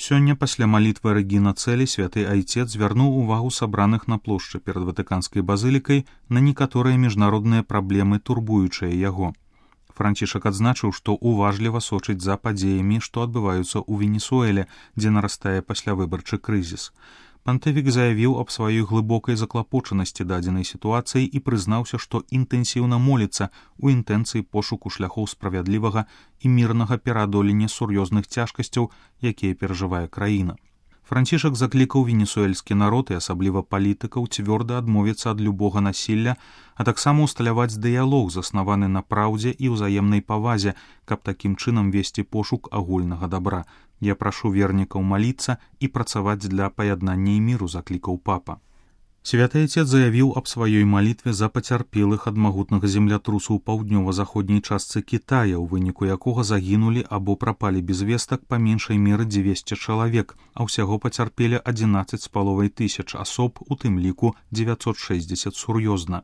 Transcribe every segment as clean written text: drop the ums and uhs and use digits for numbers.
Сёння пасля малітвы Рэгіна Цэлі святы айцец звярнуў увагу сабраных на плошчы перад Ватыканскай базылікай на некаторыя міжнародныя праблемы, турбуючыя яго. Францішак адзначыў, што уважліва сочыць за падзеямі, што адбываюцца ў Венесуэле, дзе нарастае паслявыбарчы крызіс. Пантыфік заявіў аб сваёй глыбокай заклапочанасці дадзенай сітуацыі і прызнаўся, што інтэнсіўна моліцца ў інтэнцыі пошуку шляхоў справядлівага і мірнага пераадолення сур'ёзных цяжкасцяў, якія перажывае краіна. Францішак заклікаў венесуэльскі народ і асабліва палітыкаў цвёрда адмовіцца ад любога насілля, а таксама усталяваць дыялог, заснаваны на праўдзе і ўзаемнай павазе, каб такім чынам весці пошук агульнага дабра. Я прашу вернікаў маліцца і працаваць для паяднання і міру, заклікаў папа. Святы айцец заявіў аб сваёй малітве за пацярпелых ад магутнага землятрусу ў паўднёва-заходняй частцы Кітая, у выніку якога загінулі або прапалі без вестак па меншай меры 200 чалавек, а ўсяго пацярпелі 11,5 тысяч асоб, у тым ліку 960 сур'ёзна.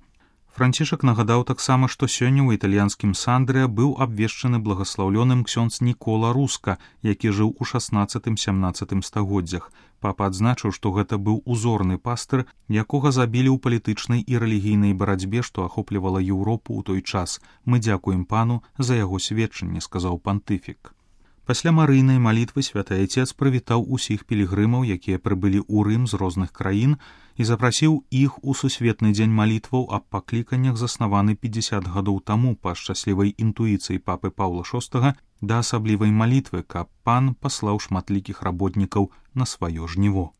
Францішак нагадаў таксама, што сёння ў італьянскім Сандрыя быў абвешчаны благаслаўлёным ксёндз Нікола Руска, які жыў у 16-17 стагоддзях. Папа адзначыў, што гэта быў узорны пастыр, якога забілі ў палітычнай і рэлігійнай барацьбе, што ахоплівала Еўропу ў той час. Мы дзякуем пану за яго сведчанне, сказаў пантыфік. Пасля марыйнай малітвы святы айцец прывітаў усіх пілігрымаў, якія прыбылі ў Рым з розных краін, і запрасіў іх у сусветны дзень малітваў аб пакліканнях, заснаваны 50 гадоў таму па шчаслівай інтуіцыі папы Паўла VI, да асаблівай малітвы, каб пан паслаў шматлікіх работнікаў на сваё жніво.